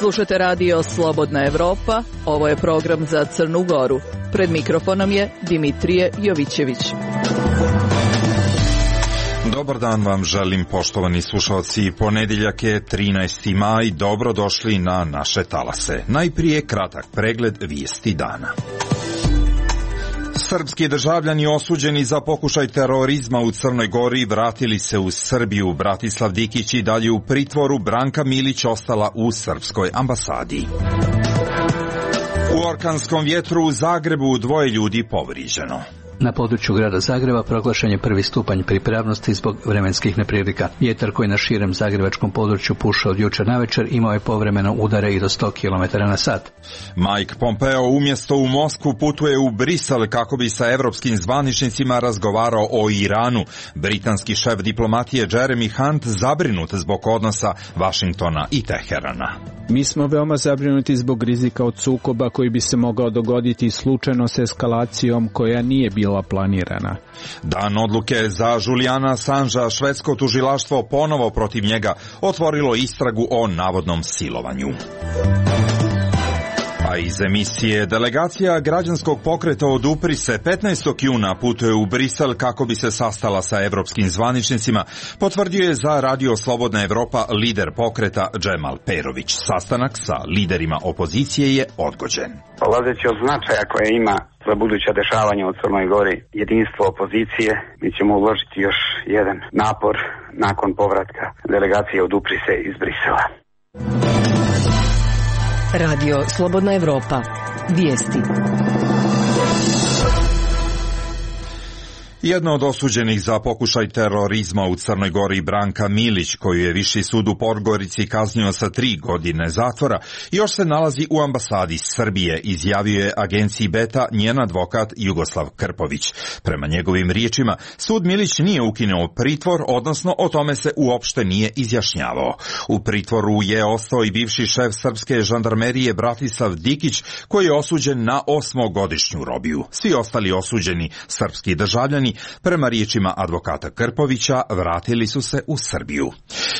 Slušate radio Slobodna Evropa, ovo je program za Crnu Goru. Pred mikrofonom je Dimitrije Jovićević. Dobar dan vam želim, poštovani slušalci. Ponedjeljak je 13. maj, dobrodošli na naše talase. Najprije kratak pregled vijesti dana. Srpski državljani osuđeni za pokušaj terorizma u Crnoj Gori vratili se u Srbiju. Bratislav Dikić i dalje u pritvoru, Branka Milić ostala u srpskoj ambasadi. U orkanskom vjetru u Zagrebu 2 ljudi povrijeđeno. Na području grada Zagreba proglašen je 1. stupanj pripravnosti zbog vremenskih neprilika. Vjetar koji na širem zagrebačkom području puša od jučer navečer imao je povremeno udare i do 100 km/h. Mike Pompeo umjesto u Moskvu putuje u Brisel kako bi sa evropskim zvaničnicima razgovarao o Iranu. Britanski šef diplomatije Jeremy Hunt zabrinut zbog odnosa Vašingtona i Teherana. Mi smo veoma zabrinuti zbog rizika od sukoba koji bi se mogao dogoditi slučajno s eskalacijom koja nije bila planirana. Dan odluke za Julijana Assangea, švedsko tužilaštvo ponovo protiv njega otvorilo istragu o navodnom silovanju. A iz emisije delegacija građanskog pokreta Odupri se 15. juna putuje u Brisel kako bi se sastala sa evropskim zvaničnicima, potvrdio je za Radio Slobodna Evropa lider pokreta Džemal Perović. Sastanak sa liderima opozicije je odgođen. Polazeći od značaja koje ima za buduća dešavanja u Crnoj Gori jedinstvo opozicije, mi ćemo uložiti još jedan napor nakon povratka delegacije Odupri se iz Brisela. Radio Slobodna Evropa. Vijesti. Jedna od osuđenih za pokušaj terorizma u Crnoj Gori, Branka Milić, koju je Viši sud u Podgorici kaznio sa 3 godine zatvora, još se nalazi u ambasadi Srbije, izjavio je agenciji Beta njen advokat Jugoslav Krpović. Prema njegovim riječima, sud Milić nije ukinuo pritvor, odnosno o tome se uopšte nije izjašnjavao. U pritvoru je ostao i bivši šef srpske žandarmerije Bratislav Dikić, koji je osuđen na 8-godišnju robiju. Svi ostali osuđeni srpski državljani, prema riječima advokata Krpovića, vratili su se u Srbiju.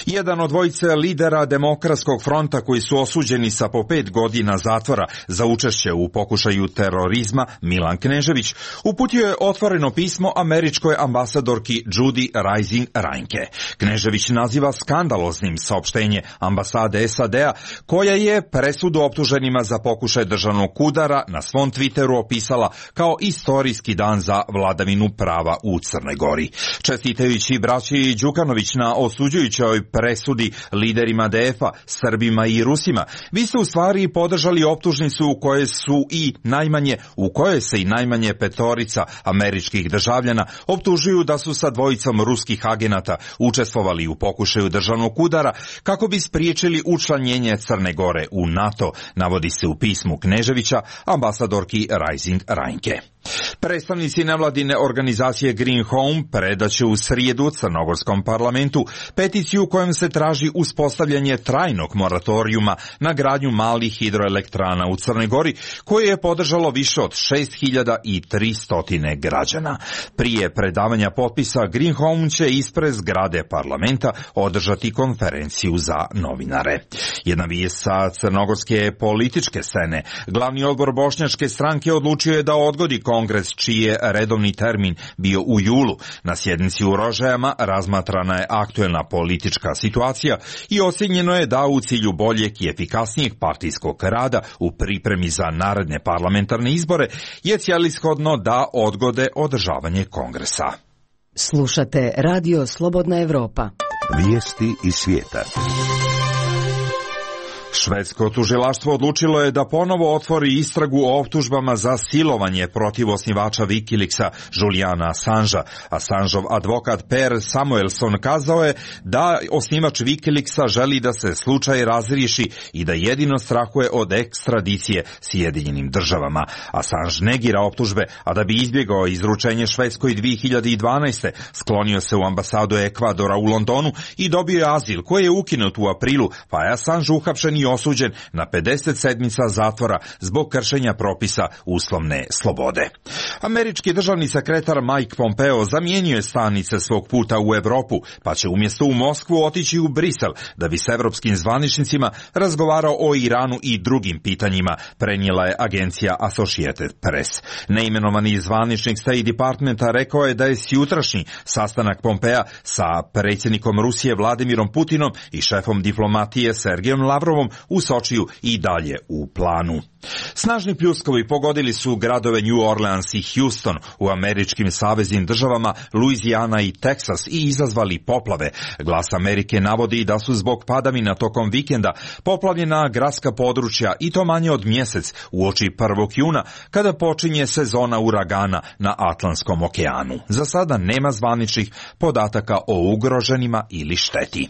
Jedan od dvojice lidera Demokratskog fronta koji su osuđeni sa po 5 godina zatvora za učešće u pokušaju terorizma, Milan Knežević, uputio je otvoreno pismo američkoj ambasadorki Judy Rising Reinke. Knežević naziva skandaloznim saopštenje ambasade SAD-a, koja je presudu optuženima za pokušaj državnog udara na svom Twitteru opisala kao istorijski dan za vladavinu prava u Crnoj Gori. Čestitajući braći Đukanović na osuđujućoj presudi liderima DF-a, Srbima i Rusima, vi ste u stvari podržali optužnicu u kojoj se i najmanje 5 američkih državljana optužuju da su sa 2 ruskih agenata učestvovali u pokušaju državnog udara kako bi spriječili učlanjenje Crne Gore u NATO, navodi se u pismu Kneževića ambasadorki Rising Reinke. Predstavnici nevladine organizacije Green Home predaće u srijedu crnogorskom parlamentu peticiju kojom se traži uspostavljanje trajnog moratorijuma na gradnju malih hidroelektrana u Crnoj Gori, koje je podržalo više od 6300 građana. Prije predavanja potpisa Green Home će ispred zgrade parlamenta održati konferenciju za novinare. Jedna vijest sa crnogorske političke scene. Glavni odbor bošnjačke stranke odlučio je da odgodi kongres čiji je redovni termin bio u julu. Na sjednici u Rožajama razmatrana je aktuelna politička situacija i ocjenjeno je da u cilju boljeg i efikasnijeg partijskog rada u pripremi za naredne parlamentarne izbore je cijelishodno da odgode održavanje kongresa. Slušate Radio Slobodna Evropa. Vijesti iz svijeta. Švedsko tužilaštvo odlučilo je da ponovo otvori istragu o optužbama za silovanje protiv osnivača Wikileaksa Julijana Assangea. Assangeov advokat Per Samuelson kazao je da osnivač Wikileaksa želi da se slučaj razriješi i da jedino strahuje od ekstradicije Sjedinjenim državama. Assange negira optužbe, a da bi izbjegao izručenje Švedskoj 2012. sklonio se u ambasadu Ekvadora u Londonu i dobio je azil koji je ukinut u aprilu, pa je Assange uhapšen i nije osuđen na 50 sedmica zatvora zbog kršenja propisa uslovne slobode. Američki državni sekretar Mike Pompeo zamijenio je stanice svog puta u Europu, pa će umjesto u Moskvu otići u Brisel da bi s evropskim zvaničnicima razgovarao o Iranu i drugim pitanjima, prenijela je agencija Associated Press. Neimenovani zvaničnik State Departmenta rekao je da je sjutrašnji sastanak Pompea sa predsjednikom Rusije Vladimirom Putinom i šefom diplomatije Sergejom Lavrovom u Sočiju i dalje u planu. Snažni pljuskovi pogodili su gradove New Orleans i Houston u američkim saveznim državama Louisiana i Texas i izazvali poplave. Glas Amerike navodi da su zbog padavina tokom vikenda poplavljena gradska područja i to manje od mjesec uoči 1. juna kada počinje sezona uragana na Atlantskom okeanu. Za sada nema zvaničnih podataka o ugroženima ili šteti.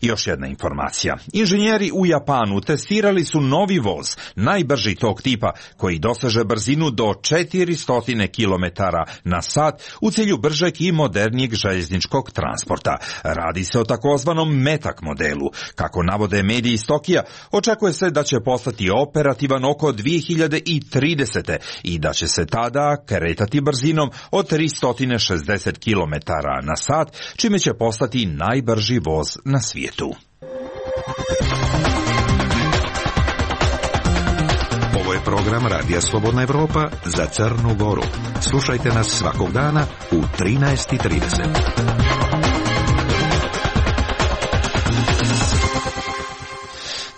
Još jedna informacija. Inženjeri u Japanu testirali su novi voz, najbrži tog tipa, koji doseže brzinu do 400 km na sat u cilju bržeg i modernijeg željezničkog transporta. Radi se o takozvanom metak modelu. Kako navode mediji iz Tokija, očekuje se da će postati operativan oko 2030. i da će se tada kretati brzinom od 360 km na sat, čime će postati najbrži voz na svijetu. Ovo je program Radija Slobodna Evropa za Crnu Goru. Slušajte nas svakog dana u 13:30.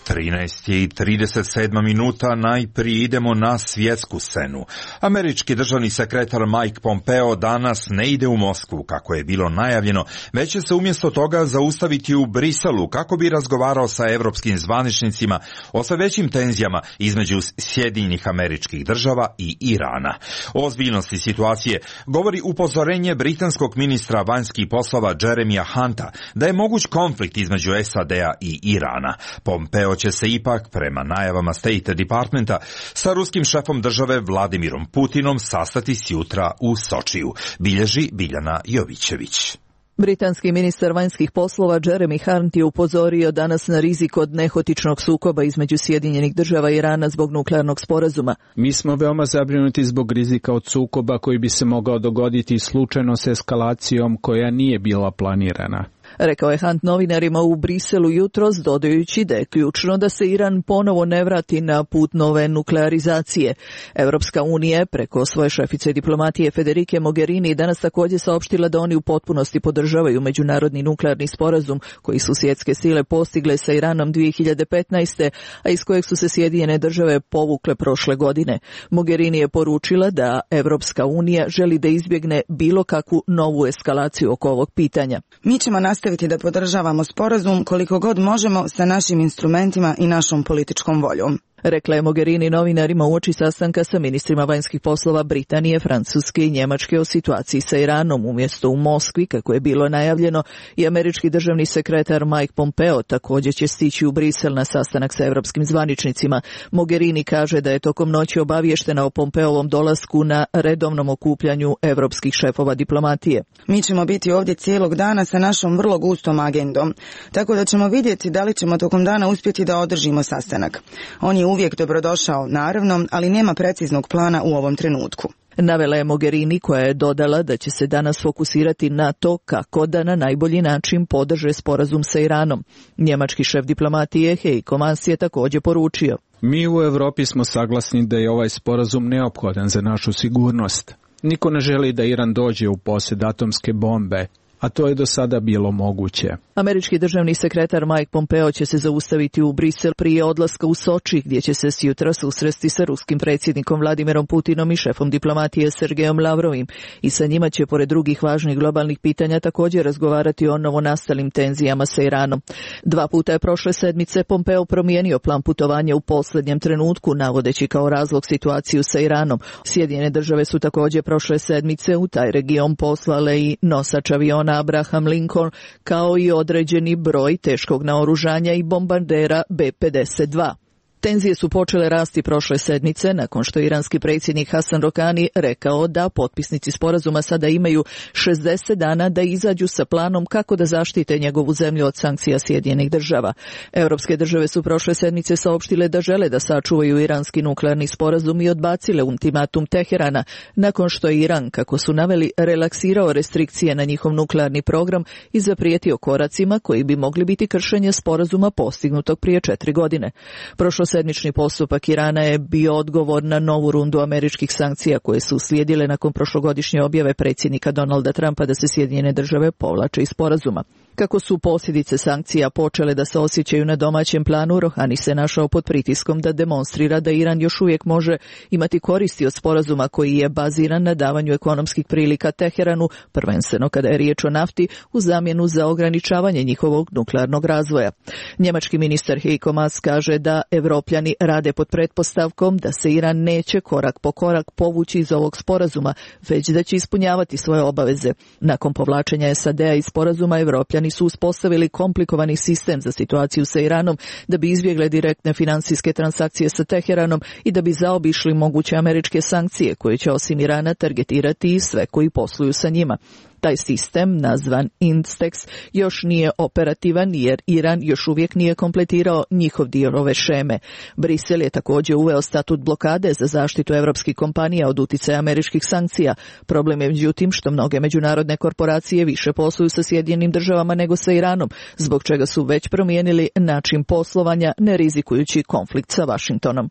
13:37 najprije idemo na svjetsku scenu. Američki državni sekretar Mike Pompeo danas ne ide u Moskvu kako je bilo najavljeno, već će se umjesto toga zaustaviti u Briselu kako bi razgovarao sa evropskim zvaničnicima o sve većim tenzijama između Sjedinjenih Američkih Država i Irana. O ozbiljnosti situacije govori upozorenje britanskog ministra vanjskih poslova Jeremija Hunta da je moguć konflikt između SAD-a i Irana. Pompeo će se ipak, prema najavama State Departmenta, sa ruskim šefom države Vladimirom Putinom sastati sjutra u Sočiju, bilježi Biljana Jovićević. Britanski ministar vanjskih poslova Jeremy Hunt je upozorio danas na rizik od nehotičnog sukoba između Sjedinjenih Država i Irana zbog nuklearnog sporazuma. Mi smo veoma zabrinuti zbog rizika od sukoba koji bi se mogao dogoditi slučajno s eskalacijom koja nije bila planirana. Rekao je Hunt novinarima u Briselu jutros, dodajući da je ključno da se Iran ponovo ne vrati na put nove nuklearizacije. Europska unija preko svoje šefice diplomatije Federike Mogherini danas također saopštila da oni u potpunosti podržavaju međunarodni nuklearni sporazum koji su svjetske sile postigle sa Iranom 2015. a iz kojeg su se Sjedinjene Države povukle prošle godine. Mogherini je poručila da Europska unija želi da izbjegne bilo kakvu novu eskalaciju oko ovog pitanja. Mi ćemo nastaviti da podržavamo sporazum koliko god možemo sa našim instrumentima i našom političkom voljom. Rekla je Mogherini novinarima uoči sastanka sa ministrima vanjskih poslova Britanije, Francuske i Njemačke o situaciji sa Iranom, umjesto u Moskvi, kako je bilo najavljeno, i američki državni sekretar Mike Pompeo također će stići u Brisel na sastanak sa evropskim zvaničnicima. Mogherini kaže da je tokom noći obaviještena o Pompeovom dolasku na redovnom okupljanju evropskih šefova diplomatije. Mi ćemo biti ovdje cijelog dana sa našom vrlo gustom agendom, tako da ćemo vidjeti da li ćemo tokom dana uspjeti da održimo sastanak. On je uvijek dobrodošao, naravno, ali nema preciznog plana u ovom trenutku. Navela je Mogherini, koja je dodala da će se danas fokusirati na to kako da na najbolji način podrže sporazum sa Iranom. Njemački šef diplomatije Heiko Maas je također poručio: Mi u Europi smo saglasni da je ovaj sporazum neophodan za našu sigurnost. Niko ne želi da Iran dođe u posjed atomske bombe, a to je do sada bilo moguće. Američki državni sekretar Mike Pompeo će se zaustaviti u Brisel prije odlaska u Soči, gdje će se sjutra susresti sa ruskim predsjednikom Vladimirom Putinom i šefom diplomatije Sergejom Lavrovim. I sa njima će, pored drugih važnih globalnih pitanja, također razgovarati o novonastalim tenzijama sa Iranom. 2 puta je prošle sedmice Pompeo promijenio plan putovanja u posljednjem trenutku, navodeći kao razlog situaciju sa Iranom. Sjedinjene Države su također prošle sedmice u taj region poslale i nosač aviona Abraham Lincoln, kao i određeni broj teškog naoružanja i bombardera B-52. Tenzije su počele rasti prošle sedmice nakon što iranski predsjednik Hasan Rohani rekao da potpisnici sporazuma sada imaju 60 dana da izađu sa planom kako da zaštite njegovu zemlju od sankcija Sjedinjenih država. Europske države su prošle sedmice saopštile da žele da sačuvaju iranski nuklearni sporazum i odbacile ultimatum Teherana nakon što je Iran, kako su naveli, relaksirao restrikcije na njihov nuklearni program i zaprijetio koracima koji bi mogli biti kršenje sporazuma postignutog prije 4 godine. Prošlosedmični postupak Irana je bio odgovor na novu rundu američkih sankcija koje su uslijedile nakon prošlogodišnje objave predsjednika Donalda Trumpa da se Sjedinjene države povlače iz sporazuma. Kako su posljedice sankcija počele da se osjećaju na domaćem planu, Rohani se našao pod pritiskom da demonstrira da Iran još uvijek može imati koristi od sporazuma koji je baziran na davanju ekonomskih prilika Teheranu, prvenstveno kada je riječ o nafti, u zamjenu za ograničavanje njihovog nuklearnog razvoja. Njemački ministar Heiko Maas kaže da Evropljani rade pod pretpostavkom da se Iran neće korak po korak povući iz ovog sporazuma, već da će ispunjavati svoje obaveze. Nakon povlačenja SAD-a iz sporazuma, Evropljani su uspostavili komplikovani sistem za situaciju sa Iranom da bi izbjegle direktne financijske transakcije sa Teheranom i da bi zaobišli moguće američke sankcije koje će osim Irana targetirati i sve koji posluju sa njima. Taj sistem, nazvan INSTEX, još nije operativan jer Iran još uvijek nije kompletirao njihov dio ove šeme. Brisel je također uveo statut blokade za zaštitu evropskih kompanija od uticaja američkih sankcija. Problem je međutim što mnoge međunarodne korporacije više posluju sa Sjedinjenim državama nego sa Iranom, zbog čega su već promijenili način poslovanja ne rizikujući konflikt sa Vašingtonom.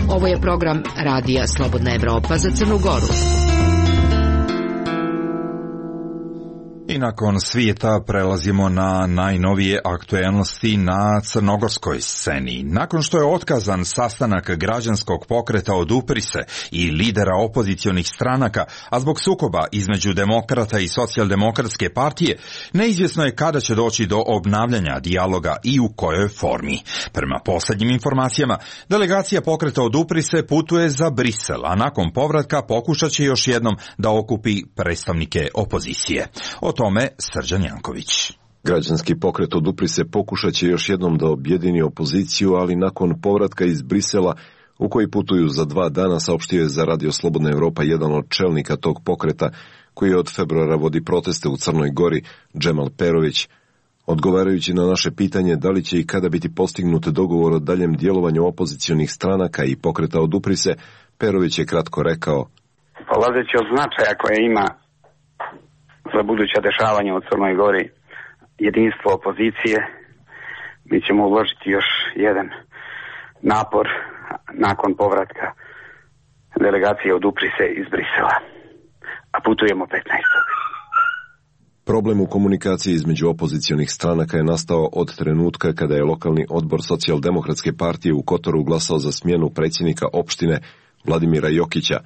Ovo je program Radija Slobodna Evropa za Crnu Goru. I nakon svijeta prelazimo na najnovije aktuelnosti na crnogorskoj sceni. Nakon što je otkazan sastanak građanskog pokreta Odupri se i lidera opozicionih stranaka, a zbog sukoba između demokrata i socijaldemokratske partije, neizvjesno je kada će doći do obnavljanja dijaloga i u kojoj formi. Prema posljednjim informacijama, delegacija pokreta Odupri se putuje za Brisel, a nakon povratka pokušat će još jednom da okupi predstavnike opozicije. O tome Srđan Janković. Građanski pokret Odupri se pokušat će još jednom da objedini opoziciju, ali nakon povratka iz Brisela, u koji putuju za 2 dana, saopštio je za Radio Slobodna Evropa jedan od čelnika tog pokreta, koji od februara vodi proteste u Crnoj Gori, Džemal Perović. Odgovarajući na naše pitanje da li će i kada biti postignut dogovor o daljem djelovanju opozicionih stranaka i pokreta Odupri se, Perović je kratko rekao: polazeći od značaja koje ima za buduća dešavanja u Crnoj Gori jedinstvo opozicije, mi ćemo uložiti još jedan napor nakon povratka delegacije Odupri se iz Brisela, a putujemo 15. Problem u komunikaciji između opozicionih stranaka je nastao od trenutka kada je lokalni odbor socijaldemokratske partije u Kotoru glasao za smjenu predsjednika opštine Vladimira Jokića.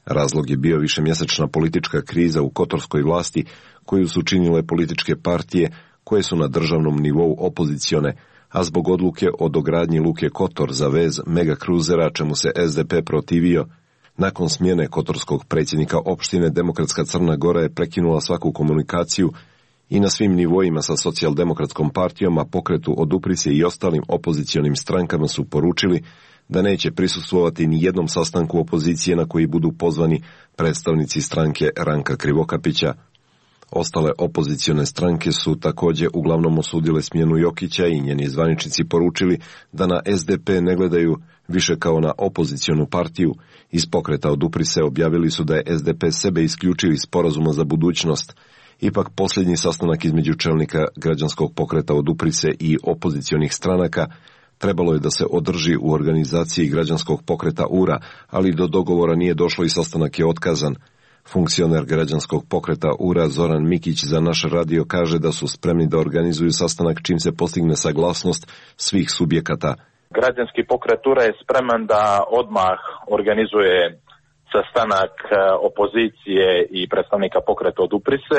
Razlog je bio višemjesečna politička kriza u kotorskoj vlasti koju su činile političke partije koje su na državnom nivou opozicione, a zbog odluke o dogradnji luke Kotor za vez megakruzera, čemu se SDP protivio. Nakon smjene kotorskog predsjednika opštine, Demokratska Crna Gora je prekinula svaku komunikaciju i na svim nivoima sa socijaldemokratskom partijom, a pokretu Odupri se i ostalim opozicionim strankama su poručili da neće prisustvovati ni jednom sastanku opozicije na koji budu pozvani predstavnici stranke Ranka Krivokapića. Ostale opozicione stranke su također uglavnom osudile smjenu Jokića i njeni zvaničnici poručili da na SDP ne gledaju više kao na opozicionu partiju. Iz pokreta Odupri se objavili su da je SDP sebe isključio iz sporazuma za budućnost. Ipak posljednji sastanak između čelnika građanskog pokreta Odupri se i opozicionih stranaka trebalo je da se održi u organizaciji građanskog pokreta URA, ali do dogovora nije došlo i sastanak je otkazan. Funkcioner građanskog pokreta URA Zoran Mikić za naš radio kaže da su spremni da organizuju sastanak čim se postigne saglasnost svih subjekata. Građanski pokret URA je spreman da odmah organizuje sastanak opozicije i predstavnika pokreta Odupri se.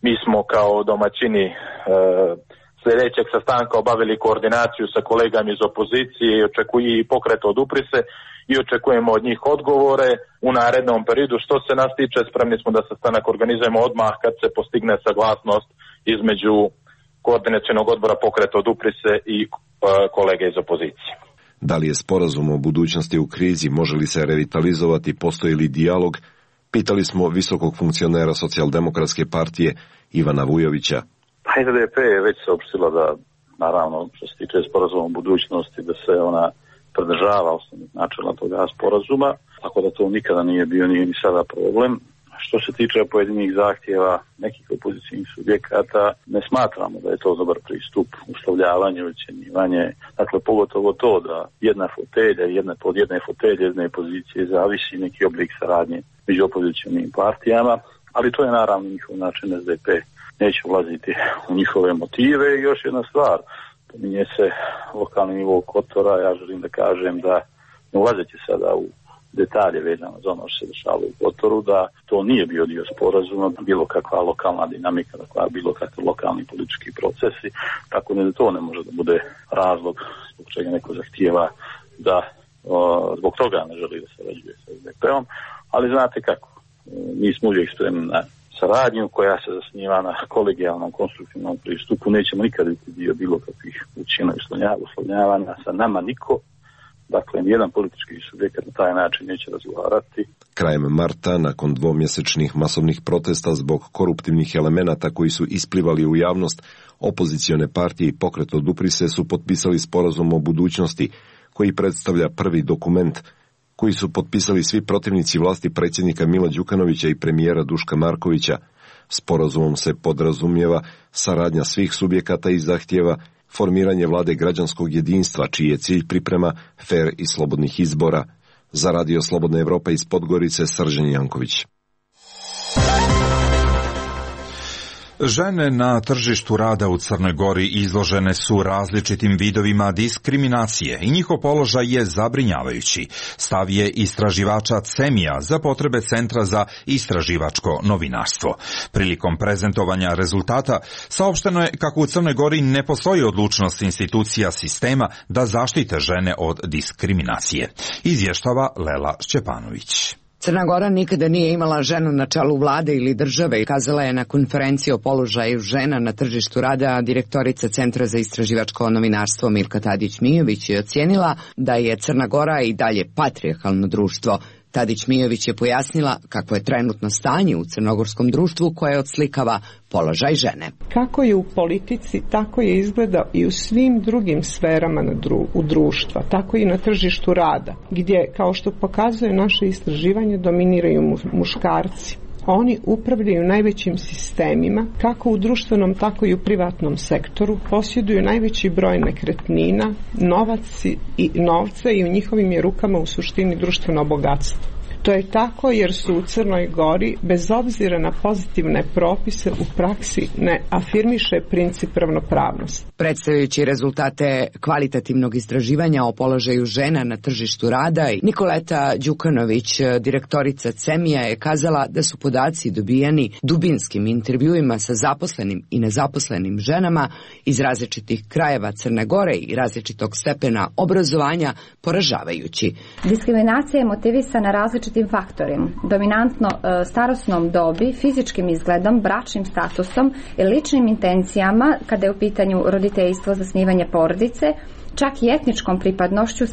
Mi smo kao domaćini sljedećeg sastanka obavili koordinaciju sa kolegama iz opozicije i pokret Odupri se i očekujemo od njih odgovore u narednom periodu. Što se nas tiče, spremni smo da sastanak organizujemo odmah kad se postigne saglasnost između koordinacionog odbora pokreta Odupri se i kolege iz opozicije. Da li je sporazum o budućnosti u krizi, može li se revitalizovati, postoji li dijalog, pitali smo visokog funkcionera Socijaldemokratske partije Ivana Vujovića. SDP je već saopštila da, naravno, što se tiče sporazuma o budućnosti, da se ona pridržava osnovnih načela toga sporazuma, tako da to nikada nije bio, nije ni sada problem. Što se tiče pojedinih zahtjeva nekih opozicijnih subjekata, ne smatramo da je to dobar pristup, uslovljavanje, ocjenjivanje. Dakle, pogotovo to da jedna fotelja, od jedne fotelje, jedne pozicije zavisi neki oblik saradnje među opozicijnim partijama, ali to je naravno njihov način. SDP neće ulaziti u njihove motive. I još jedna stvar, pominje se lokalni nivo Kotora, ja želim da kažem da, ne ulazeći sada u detalje vezano za ono što se dešava u Kotoru, da to nije bio dio sporazuma, bilo kakva lokalna dinamika, bilo kakvi lokalni politički procesi, tako da to ne može da bude razlog zbog čega neko zahtijeva da zbog toga ne želi da se sarađuje sa SDP-om, ali znate kako, mi smo uvijek spremni na saradnju koja se zasniva na kolegijalnom, konstruktivnom pristupu, nećemo nikad biti dio bilo kakvih učina i uslovljavanja, sa nama niko. Dakle, nijedan politički subjekat na taj način neće razgovarati. Krajem marta, nakon dvomjesečnih masovnih protesta zbog koruptivnih elemenata koji su isplivali u javnost, opozicione partije i Pokret odupri se su potpisali sporazum o budućnosti, koji predstavlja prvi dokument koji su potpisali svi protivnici vlasti predsjednika Mila Đukanovića i premijera Duška Markovića. Sporazumom se podrazumijeva saradnja svih subjekata i zahtjeva formiranje vlade građanskog jedinstva, čiji je cilj priprema fer i slobodnih izbora. Za Radio Slobodna Evropa iz Podgorice, Srđan Janković. Žene na tržištu rada u Crnoj Gori izložene su različitim vidovima diskriminacije i njihov položaj je zabrinjavajući. Stav je istraživača CEMIA za potrebe Centra za istraživačko novinarstvo. Prilikom prezentovanja rezultata saopšteno je kako u Crnoj Gori ne postoji odlučnost institucija sistema da zaštite žene od diskriminacije. Izvještava Lela Šćepanović. Crna Gora nikada nije imala ženu na čelu vlade ili države, kazala je na konferenciji o položaju žena na tržištu rada direktorica Centra za istraživačko novinarstvo Milka Tadić-Mijović je ocijenila da je Crna Gora i dalje patrijarhalno društvo. Tadić-Mijović je pojasnila kako je trenutno stanje u crnogorskom društvu koje odslikava položaj žene. Kako je u politici, tako je izgleda i u svim drugim sferama u društva, tako i na tržištu rada, gdje, kao što pokazuje naše istraživanje, dominiraju muškarci. Oni upravljaju najvećim sistemima, kako u društvenom, tako i u privatnom sektoru, posjeduju najveći broj nekretnina, novca i u njihovim je rukama u suštini društveno bogatstvo. To je tako jer su u Crnoj Gori, bez obzira na pozitivne propise, u praksi ne afirmiše princip ravnopravnosti. Predstavljajući rezultate kvalitativnog istraživanja o položaju žena na tržištu rada, Nikoleta Đukanović, direktorica CEMIA, je kazala da su podaci dobijeni dubinskim intervjuima sa zaposlenim i nezaposlenim ženama iz različitih krajeva Crne Gore i različitog stepena obrazovanja poražavajući. Diskriminacija je motivisana različitim faktorima, dominantno starosnom dobi, fizičkim izgledom, bračnim statusom i ličnim intencijama kada je u pitanju roditeljstvo, zasnivanje porodice, čak i etničkom pripadnošću,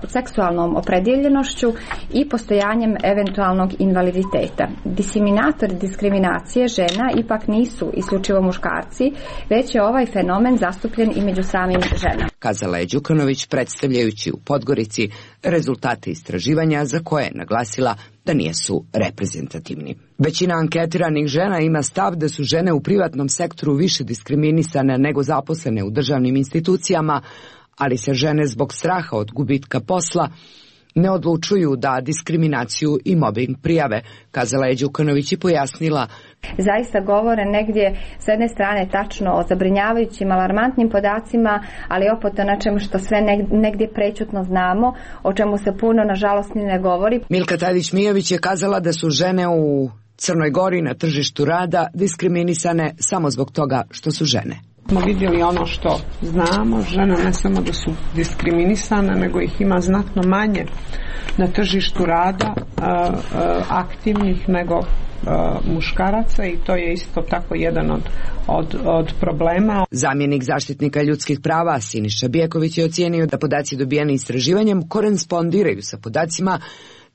seksualnom opredjeljenošću i postojanjem eventualnog invaliditeta. Diseminatori diskriminacije žena ipak nisu isključivo muškarci, već je ovaj fenomen zastupljen i među samim ženama. Kazala je Đukanović predstavljajući u Podgorici rezultate istraživanja za koje je naglasila da nisu reprezentativni. Većina anketiranih žena ima stav da su žene u privatnom sektoru više diskriminisane nego zaposlene u državnim institucijama, ali se žene zbog straha od gubitka posla ne odlučuju da diskriminaciju i mobbing prijave, kazala je Đukanović i pojasnila. Zaista govore negdje s jedne strane tačno o zabrinjavajućim, alarmantnim podacima, ali opet o nečemu što sve negdje prečutno znamo, o čemu se puno nažalost ni ne govori. Milka Tadić-Mijović je kazala da su žene u Crnoj Gori na tržištu rada diskriminisane samo zbog toga što su žene. Smo vidjeli ono što znamo, žene ne samo da su diskriminisane, nego ih ima znatno manje na tržištu rada aktivnih nego muškaraca i to je isto tako jedan od problema. Zamjenik zaštitnika ljudskih prava Siniša Bijeković je ocijenio da podaci dobijeni istraživanjem korespondiraju sa podacima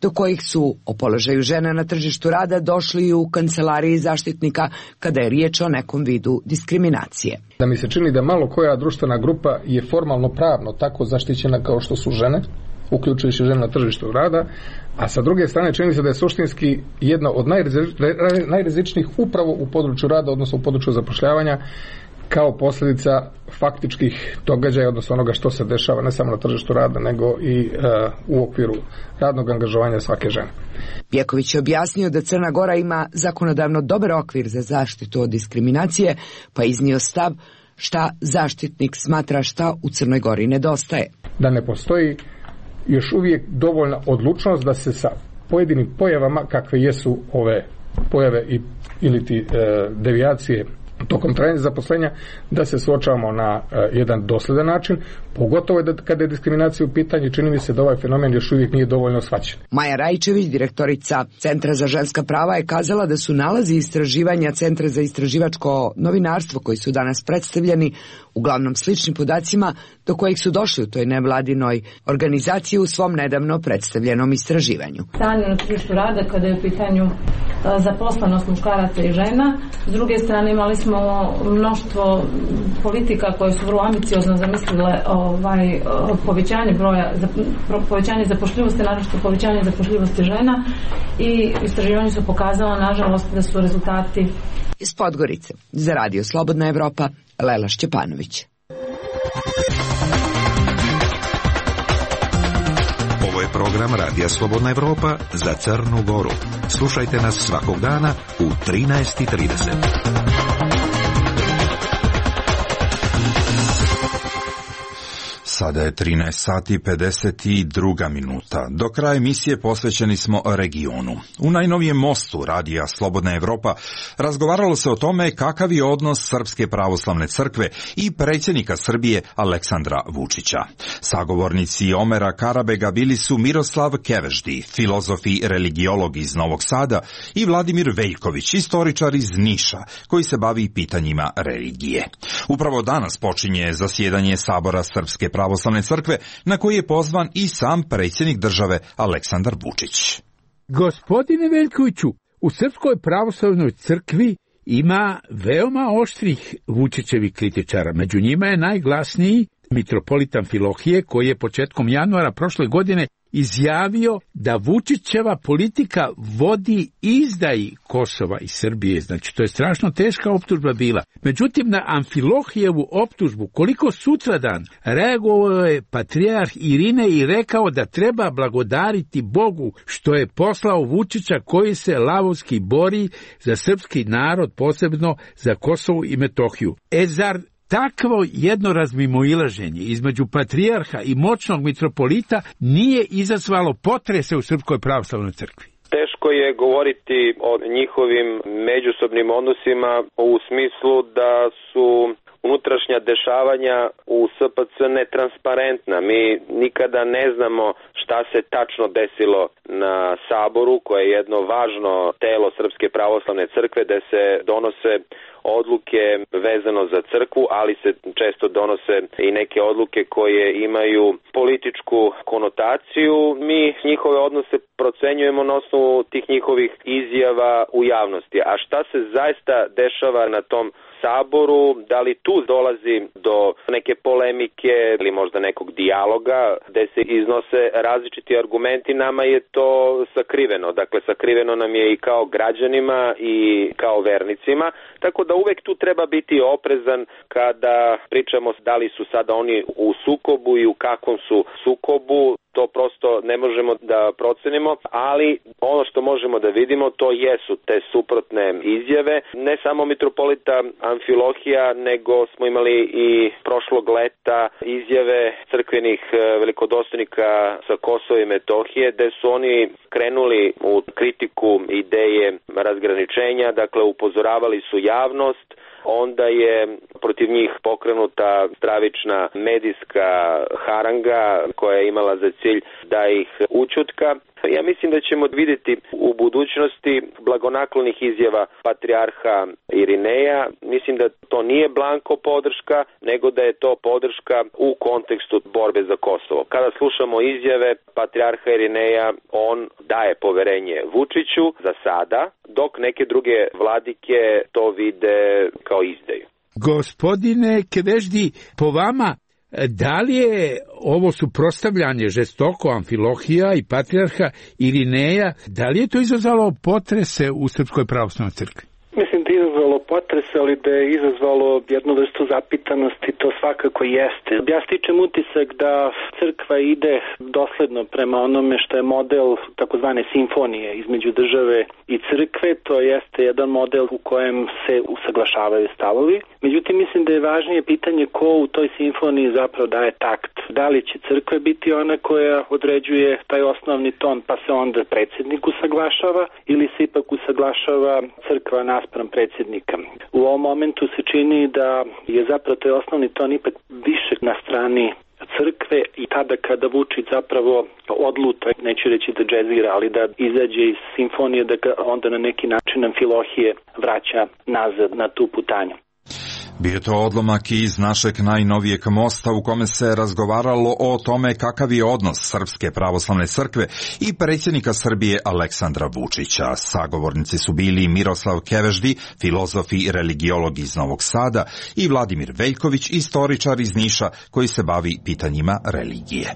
do kojih su o položaju žena na tržištu rada došli u kancelariji zaštitnika kada je riječ o nekom vidu diskriminacije. Da mi se čini da malo koja društvena grupa je formalno pravno tako zaštićena kao što su žene, uključujući žene na tržištu rada, a sa druge strane čini se da je suštinski jedna od najrizičnijih upravo u području rada, odnosno u području zapošljavanja, kao posljedica faktičkih događaja, odnosno onoga što se dešava ne samo na tržištu rada, nego i u okviru radnog angažovanja svake žene. Bjeković je objasnio da Crna Gora ima zakonodavno dobar okvir za zaštitu od diskriminacije, pa iznio stav šta zaštitnik smatra šta u Crnoj Gori nedostaje. Da ne postoji još uvijek dovoljna odlučnost da se sa pojedinim pojavama, kakve jesu ove pojave ili devijacije tokom trajanja zaposlenja, da se suočavamo na jedan dosljedan način, pogotovo kada je diskriminacija u pitanju, čini mi se da ovaj fenomen još uvijek nije dovoljno shvaćen. Maja Rajčević, direktorica Centra za ženska prava, je kazala da su nalazi istraživanja Centra za istraživačko novinarstvo koji su danas predstavljeni uglavnom sličnim podacima do kojih su došli u toj nevladinoj organizaciji u svom nedavno predstavljenom istraživanju. Stanje na tržištu rada kada je u pitanju zaposlenost muškaraca i žena. S druge strane imali smo mnoštvo politika koje su vrlo ambiciozno zamislile povećanje zapošljivosti, naročito povećanje zapošljivosti žena, i istraživanje su pokazala nažalost da su rezultati. Iz Podgorice za Radio Slobodna Evropa, Lela Šćepanović. Ovo je program Radija Slobodna Evropa za Crnu Goru. Slušajte nas svakog dana u 13:30. Sada je 13 sati 52 minuta. Do kraja emisije posvećeni smo regionu. U najnovijem mostu Radija Slobodna Evropa razgovaralo se o tome kakav je odnos Srpske pravoslavne crkve i predsjednika Srbije Aleksandra Vučića. Sagovornici Omera Karabega bili su Miroslav Keveždi, filozof i religiolog iz Novog Sada, i Vladimir Veljković, istoričar iz Niša, koji se bavi pitanjima religije. Upravo danas počinje zasjedanje Sabora Srpske pravoslavne crkve, na koji je pozvan i sam predsjednik države Aleksandar Vučić. Gospodine Veljkoviću, u Srpskoj pravoslavnoj crkvi ima veoma oštrih Vučićevih kritičara. Među njima je najglasniji mitropolit Amfilohije, koji je početkom januara prošle godine izjavio da Vučićeva politika vodi izdaji Kosova i Srbije. Znači, to je strašno teška optužba bila. Međutim, na Amfilohijevu optužbu, koliko sutradan, reagovao je patrijarh Irine i rekao da treba blagodariti Bogu što je poslao Vučića koji se lavovski bori za srpski narod, posebno za Kosovo i Metohiju. Zar takvo jedno razmimoilaženje između patrijarha i moćnog mitropolita nije izazvalo potrese u Srpskoj pravoslavnoj crkvi? Teško je govoriti o njihovim međusobnim odnosima u smislu da su unutrašnja dešavanja u SPC netransparentna. Mi nikada ne znamo šta se tačno desilo na Saboru, koje je jedno važno telo Srpske pravoslavne crkve, gde se donose odluke vezano za crkvu, ali se često donose i neke odluke koje imaju političku konotaciju. Mi njihove odnose procenjujemo na osnovu tih njihovih izjava u javnosti. A šta se zaista dešava na tom Saboru, da li tu dolazi do neke polemike ili možda nekog dijaloga gde se iznose različiti argumenti, nama je to sakriveno. Dakle, sakriveno nam je i kao građanima i kao vernicima, tako da uvek tu treba biti oprezan kada pričamo da li su sada oni u sukobu i u kakvom su sukobu. To prosto ne možemo da procenimo, ali ono što možemo da vidimo to jesu te suprotne izjave. Ne samo mitropolita Amfilohija, nego smo imali i prošlog leta izjave crkvenih velikodostojnika sa Kosova i Metohije, gde su oni krenuli u kritiku ideje razgraničenja, dakle upozoravali su javnost onda je protiv njih pokrenuta stravična medijska haranga koja je imala za cilj da ih ućutka. Ja mislim da ćemo vidjeti u budućnosti blagonaklonih izjava patrijarha Irineja. Mislim da to nije blanko podrška, nego da je to podrška u kontekstu borbe za Kosovo. Kada slušamo izjave patrijarha Irineja, on daje poverenje Vučiću za sada, dok neke druge vladike to vide kao izdaju. Gospodine Kedeždi, po vama, da li je ovo suprotstavljanje žestoko Amfilohija i patrijarha Irineja, da li je to izazvalo potrese u Srpskoj pravoslavnoj crkvi? Mislim da je izazvalo potres, ali da je izazvalo jednu vrstu zapitanosti, to svakako jeste. Ja stičem utisak da crkva ide dosledno prema onome što je model takozvane simfonije između države i crkve, to jeste jedan model u kojem se usaglašavaju stavovi. Međutim, mislim da je važnije pitanje ko u toj simfoniji zapravo daje takt. Da li će crkva biti ona koja određuje taj osnovni ton pa se onda predsjednik usaglašava ili se ipak usaglašava crkva naspram predsjednika. U ovom momentu se čini da je zapravo taj osnovni ton ipak više na strani crkve i tada kada Vučić zapravo odluta, neću reći da džezira, ali da izađe iz simfonije, da ga onda na neki način Amfilohije vraća nazad na tu putanju. Bio to odlomak iz našeg najnovijeg mosta u kome se razgovaralo o tome kakav je odnos Srpske pravoslavne crkve i predsjednika Srbije Aleksandra Vučića. Sagovornici su bili Miroslav Keveždi, filozof i religiolog iz Novog Sada, i Vladimir Veljković, istoričar iz Niša koji se bavi pitanjima religije.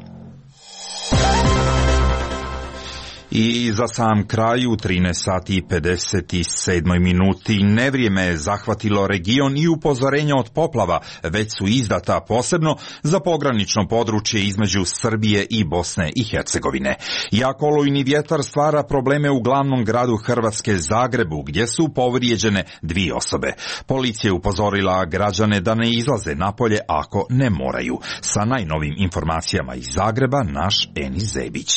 I za sam kraj u 13 sati i 57 minuti nevrijeme je zahvatilo region i upozorenja od poplava već su izdata posebno za pogranično područje između Srbije i Bosne i Hercegovine. Jak olujni vjetar stvara probleme u glavnom gradu Hrvatske Zagrebu gdje su povrijeđene 2 osobe. Policija je upozorila građane da ne izlaze napolje ako ne moraju. Sa najnovim informacijama iz Zagreba naš Enis Zebić.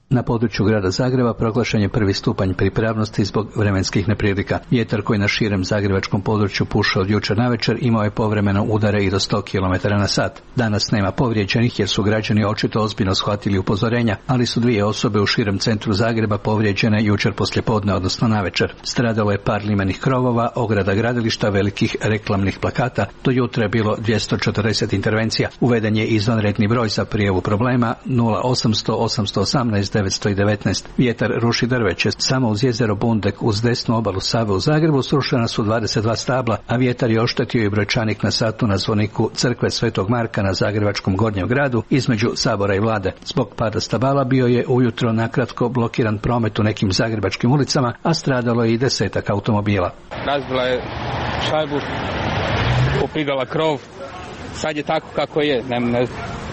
Na području grada Zagreba proglašen je 1. stupanj pripravnosti zbog vremenskih neprilika. Vjetar koji na širem zagrebačkom području puša od jučer navečer imao je povremeno udare i do 100 km/h. Danas nema povrijeđenih jer su građani očito ozbiljno shvatili upozorenja, ali su 2 osobe u širem centru Zagreba povrijeđene jučer poslijepodne, odnosno navečer. Stradalo je par limenih krovova, ograda gradilišta, velikih reklamnih plakata. Do jutra je bilo 240 intervencija. Uveden je izvanredni broj za prijavu problema 0800 818 919. Vjetar ruši drveće. Samo uz jezero Bundek uz desnu obalu Save u Zagrebu srušena su 22 stabla, a vjetar je oštetio i brojčanik na satu na zvoniku crkve Svetog Marka na zagrebačkom Gornjem gradu između Sabora i Vlade. Zbog pada stabala bio je ujutro nakratko blokiran promet u nekim zagrebačkim ulicama, a stradalo je i 10 automobila. Razbila je šajbu, popigala krov, sad je tako kako je, ne.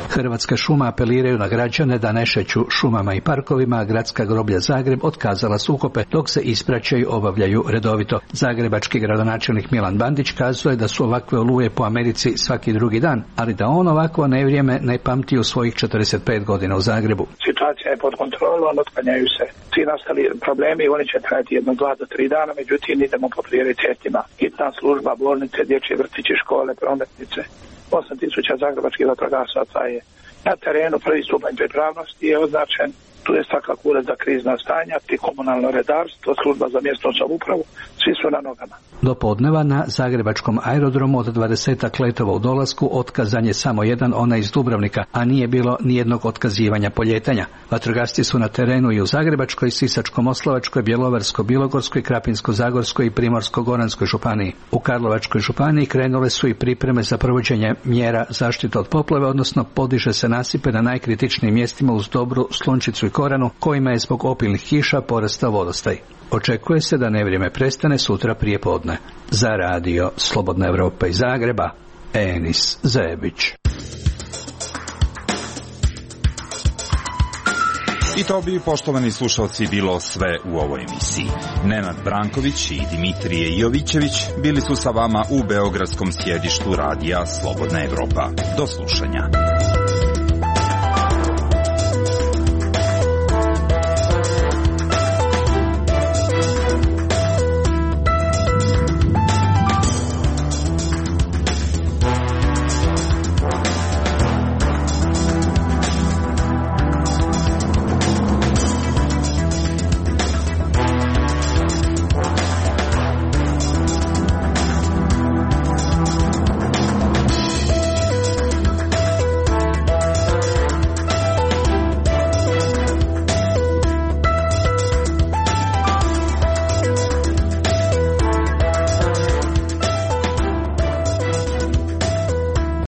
Hrvatske šume apeliraju na građane da ne šeću šumama i parkovima, a Gradska groblja Zagreb otkazala sukope dok se ispraćaju obavljaju redovito. Zagrebački gradonačelnik Milan Bandić kazuje da su ovakve oluje po Americi svaki drugi dan, ali da on ovakvo nevrijeme ne pamti u svojih 45 godina u Zagrebu. Situacija je pod kontrolom, otklanjaju se svi nastali problemi, oni će trajati 1, 2 do 3 dana, međutim idemo po prioritetima. Hitna služba, bolnice, dječje vrtiće, škole, prometnice. 8.000 zagrebačkih vatrogasaca je na terenu, 1. stupanj pripravnosti je označen. Tu je svakako ured za krizna stanja, komunalno redarstvo, služba za mjesnu samoupravu, svi su na nogama. Do podneva na zagrebačkom aerodromu od 20 letova u dolasku otkazan je samo jedan, onaj iz Dubrovnika, a nije bilo nijednog otkazivanja poljetanja. Vatrogasci su na terenu i u Zagrebačkoj, Sisačko-moslavačkoj, Bjelovarsko-bilogorskoj, Krapinsko-zagorskoj i Primorsko-goranskoj županiji. U Karlovačkoj županiji krenule su i pripreme za provođenje mjera zaštite od poplave, odnosno podiže se nasipe na najkritičnijim mjestima uz Dobru, Slunčicu i Koranu, kojima je zbog opilnih kiša porastao vodostaj. Očekuje se da nevrijeme prestane sutra prije podne. Za radio Slobodna Evropa iz Zagreba, Enis Zebić. I to bi, poštovani slušalci, bilo sve u ovoj emisiji. Nenad Branković i Dimitrije Jovićević bili su sa vama u beogradskom sjedištu radija Slobodna Evropa. Do slušanja.